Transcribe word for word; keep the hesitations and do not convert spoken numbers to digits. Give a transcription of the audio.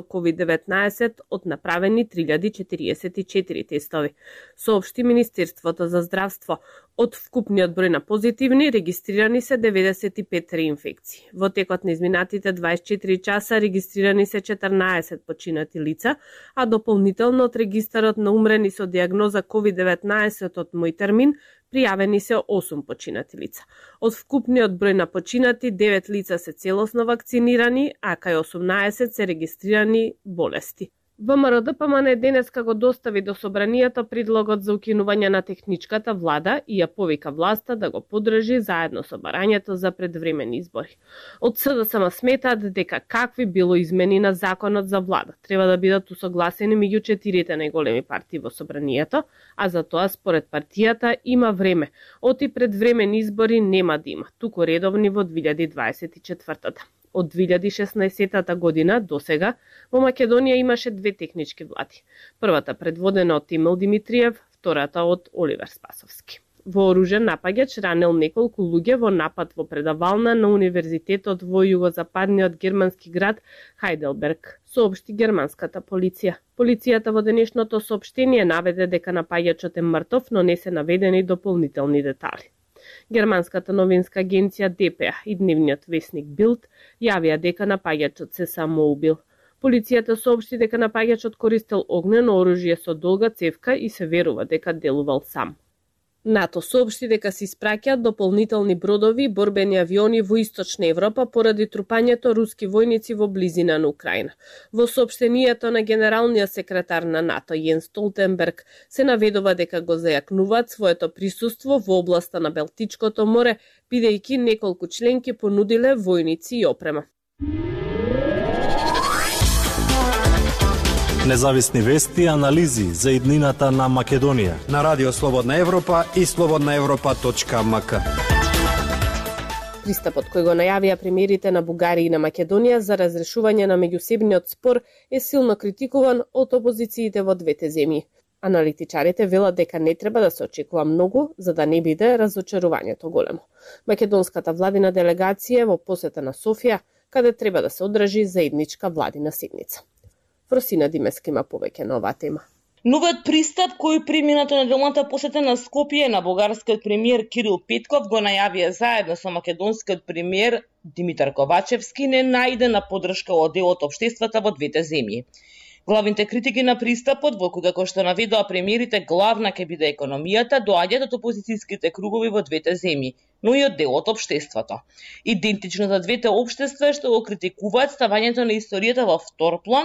ковид деветнаесет од направени три илјади четириесет и четири тестови, соопшти Министерството за здравство. Од вкупниот број на позитивни регистрирани се деветдесет и пет реинфекции. Во текот на изминатите дваесет и четири часа регистрирани се четрнаесет починати лица, а дополнително од регистарот на умрени со диагноза ковид деветнаесет од Мојтермин пријавени се осум починати лица. Од вкупниот број на починати, девет лица се целосно вакцинирани, а кај осумнаесет се регистрирани болести. ВМРО-ДПМН денеска го достави до собранието предлогот за укинување на техничката влада и ја повика власта да го поддржи заедно со барањето за предвремени избори. Од СДСМ сметаат дека какви било измени на законот за влада треба да бидат усогласени меѓу четирите најголеми партии во собранието, а за тоа според партијата има време. Оти предвремени избори нема да има, туку редовни во две илјади дваесет и четвртата. Од две илјади и шеснаесетата година до сега во Македонија имаше две технички влади. Првата предводена од Емил Димитриев, втората од Оливер Спасовски. Вооружен напаѓач ранел неколку луѓе во напад во предавална на универзитетот во југозападниот германски град Хајделберг, соопшти германската полиција. Полицијата во денешното соопштение наведе дека напаѓачот е мртов, но не се наведени дополнителни детали. Германската новинска агенција Д П А и дневниот весник Билд јавија дека напаѓачот се самоубил. Полицијата соопшти дека напаѓачот користел огнено оружје со долга цевка и се верува дека делувал сам. НАТО соопшти дека се испраќаат дополнителни бродови и борбени авиони во Источна Европа поради трупањето руски војници во близина на Украина. Во соопштението на генералниот секретар на НАТО Јенс Столтенберг се наведува дека го зајакнуваат своето присуство во областа на Балтичкото море, бидејќи неколку членки понудиле војници и опрема. Независни вести и анализи за иднината на Македонија на Радио Слободна Европа и слободна европа точка м к. Пристапот кој го најавија премиерите на Бугарија и на Македонија за разрешување на меѓусебниот спор е силно критикуван од опозициите во двете земји. Аналитичарите велат дека не треба да се очекува многу за да не биде разочарувањето големо. Македонската владина делегација е во посета на Софија, каде треба да се одржи заедничка владина седница. Фросина Димеска има повеќе на оваа тема. Новиот пристап кој при минато неделната посета на Скопје на бугарскиот премиер Кирил Петков го најавија заедно со македонскиот премиер Димитар Ковачевски не најде на поддршка од дел од општеството во двете земји. Главните критики на пристапот, во кој како што наведоа премиерите, главна ќе биде економијата, доаѓаат од опозицијските кругови во двете земји, но и од дел од општеството. Идентично за двете општества што го критикуваат ставањето на историјата во втор план и